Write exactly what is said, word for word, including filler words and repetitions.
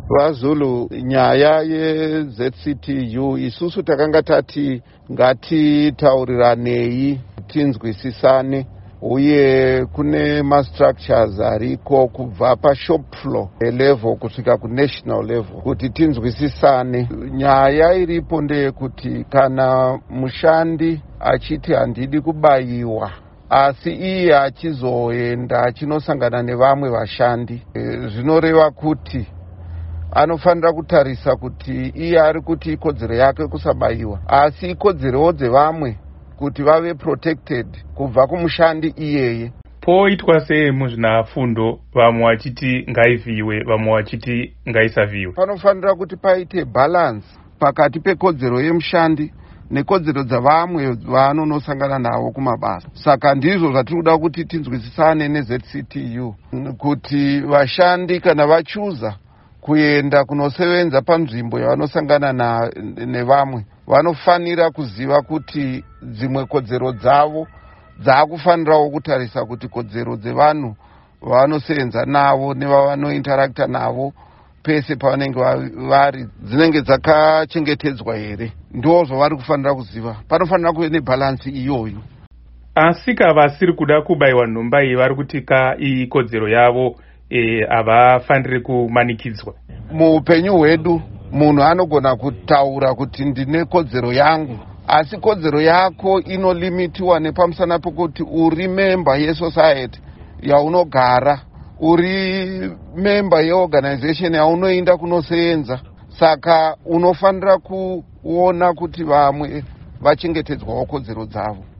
VaZulu, nyaya yeZ C T U, isusu takanga tati ngatitauriranei, tinzwisisane, uye kune mastructures ariko kubva pashop floor level kusvika kunational level kuti tinzwisisane. Nyaya iripo ndeyekuti kana mushandi achiti handidi kubayiwa, asi iye achizoenda achinosangana nevamwe vashandi, e, zvinoreva kuti anofanira kutarisa kuti iye ari kuti ikodzero yake kusabayiwa, asi ikodzerowo dzevamwe kuti vave protected kubva kumushandi iyeye. Poitwa sei, muzvinafundo? Vamwe vachiti ngaivhiyiwe, vamwe vachiti ngaisavhiyiwe. Panofanira kuti paite balance pakati pekodzero yemushandi nekodzero dzavamwe vaanonosangana navo kumabasa. Saka ndizvo zvatiri kuda kuti tinzwisisane neZ C T U, kuti vashandi kana vachuza kuenda kunosevenza panzvimbo yavanosangana nevamwe, vanofanira kuziva kuti dzimwe kodzero dzavo dzaakufanirawo kutarisa kuti kodzero dzevanhu vavanosevenza navo nevavanointeracta navo pese pavanenge vari dzinenge dzakachengetedzwa here. Ndo zvavari kufanira kuziva. Panofanira kuve nebalance iyoyo. Asi ka vasiri kuda kubayiwa nhomba iyi vari kuti ka ikodzero yavo, havafaniri kumanikidzwa. Muupenyu hwedu munhu anogona kutaura kuti ndine kodzero yangu, asi kodzero yako inolimitiwa nepamusana pekuti uri member yesociety yaunogara, uri member yeorganization yaunoenda kunoseenza. Saka unofanira kuona kuti vamwe vachengetedzwawo kodzero dzavo.